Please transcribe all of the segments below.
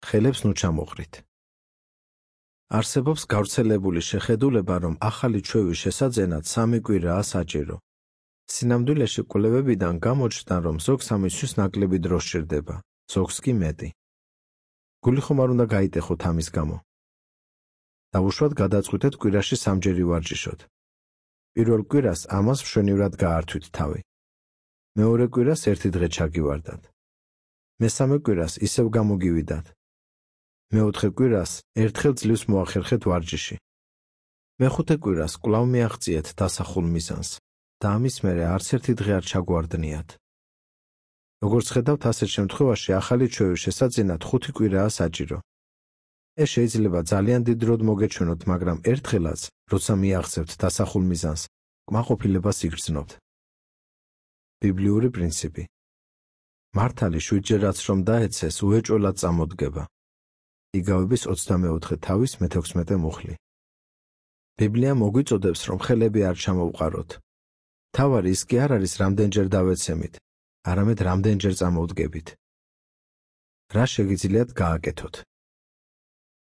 ხელებს ნუ ჩამოყრით. არსებობს გავრცელებული შეხედულება, რომ ახალი ჩვევის შესაძენად 3 კვირაა საჭირო. სინამდვილეში კვლევებიდან გამოჩნდა, რომ ზოგს ამისთვის ნაკლები დრო სჭირდება, ზოგს კი მეტი. გული ხომ არ უნდა გაიტეხოთ ამის გამო. დავუშვათ გადაწყვიტეთ კვირაში 3-ჯერ ვარჯიშოთ. პირველ კვირას ამას მშვენივრად გაართვით თავი. მეორე კვირას 1 დღე ჩაგივარდათ. მესამე კვირას ისევ გამოგივიდათ. მეოთხე კვირას ერთხელ ძლივს მოახერხეთ ვარჯიში. მეხუთე კვირას კვლავ მიაღწიეთ დასახულ მიზანს და ამის მერე არც ერთი დღე არ ჩაგვარდნიათ. როგორც ხედავთ, ასეთ შემთხვევაში ახალი ჩვევის შესაძენად 5 კვირაა საჭირო. ეს შეიძლება ძალიან დიდ დროდ მოგეჩვენოთ, მაგრამ ერთხელაც, როცა მიაღწევთ დასახულ მიზანს, კმაყოფილებას იგრძნობთ. ბიბლიური პრინციპი. მართალი 7-ჯერაც რომ დაეცეს, უეჭველად წამოდგება. იგავების 24 თავის 16 მუხლი. ბიბლია მოგვიწოდებს, რომ ხელები არ ჩამოვყაროთ. თავარი ის კი არ არის, რამდენჯერ დავეცემით, არამედ რამდენჯერ წამოვდგებით. რა შეგიძლიათ გააკეთოთ?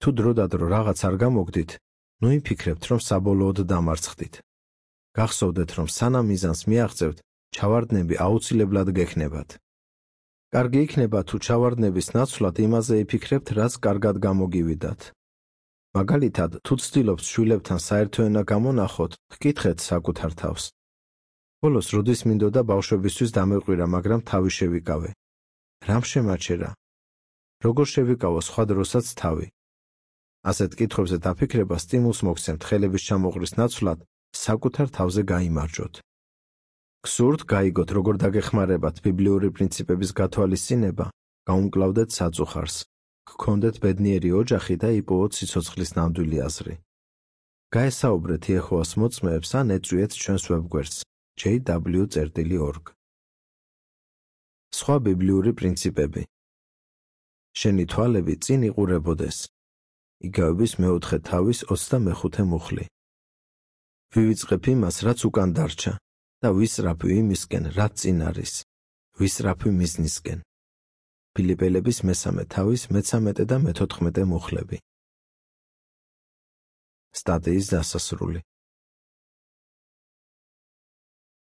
თუ დროდადრო რაღაც არ გამოგდით, ნუ იფიქრებთ, რომ საბოლოოდ დამარცხდით. გახსოვდეთ, რომ სანამ მიზანს მიაღწევთ, ჩავარდნები აუცილებლად გექნებათ. კარგი იქნება, თუ ჩავარდნების ნაცვლად იმაზე იფიქრებთ, რაც კარგად გამოგივიდათ. მაგალითად, თუ ცდილობთ შვილებთან საერთო ენა გამონახოთ, ჰკითხეთ საკუთარ თავს. ბოლოს როდის მინდოდა ბავშვებისთვის დამეყვირა, მაგრამ თავი შევიკავე. რამ შემაჩერა? როგორ შევიკავო სხვა დროსაც თავი? ასეთ კითხვებზე დაფიქრება სტიმულს მოგცემთ ხელების ჩამოყრის ნაცვლად საკუთარ თავზე გაიმარჯვოთ. გსურთ გაიგოთ, როგორ დაგეხმარებათ ბიბლიური პრინციპების გათვალისწინება, გაუმკლავდეთ საწუხარს, გქონდეთ ბედნიერი ოჯახი და იპოვოთ სიცოცხლის ნამდვილი აზრი. გაესაუბრეთ იეჰოვას მოწმეებს ან ეწვიეთ ჩვენს ვებგვერდს jw.org. სხვა ბიბლიური პრინციპები. შენი თვალები წინ იყურებოდეს. იგავების 4 თავის 25 მუხლი. ვივიწყებ იმას, რაც უკან დარჩა და ვისწრაფვი იმისკენ, რაც წინ არის. ვისწრაფვი მიზნისკენ. ფილიპელების 3 თავის 13 და 14 მუხლები. სტატიის დასასრული.